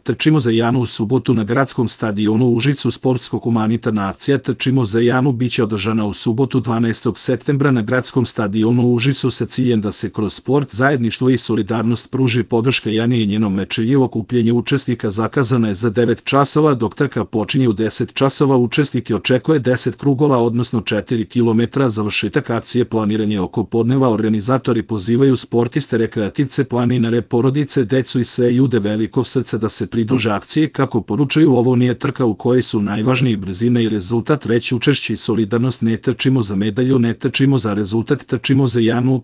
Trčimo za Janu u subotu na gradskom stadionu u Užicu. Sportsko-humanitarna akcija Trčimo za Janu biće održana u subotu 12. septembra na gradskom stadionu u Užicu sa ciljem da se kroz sport, zajedništvo i solidarnost pruži podrška Jani i njenom mečeju. Okupljenje učesnika zakazano je za 9 časova, dok trka počinje u 10 časova. Učesnike očekuje 10 krugova, odnosno 4 km. Završetak akcije planiran je oko podneva. Organizatori pozivaju sportiste, rekreativce, planinare, porodice, decu i sve ljude velikog srca da se pridruže akciji. Kako poručuju, ovo nije trka u kojoj su najvažniji brzina i rezultat, već učešće i solidarnost. Ne trčimo za medalju, ne trčimo za rezultat, trčimo za Janu.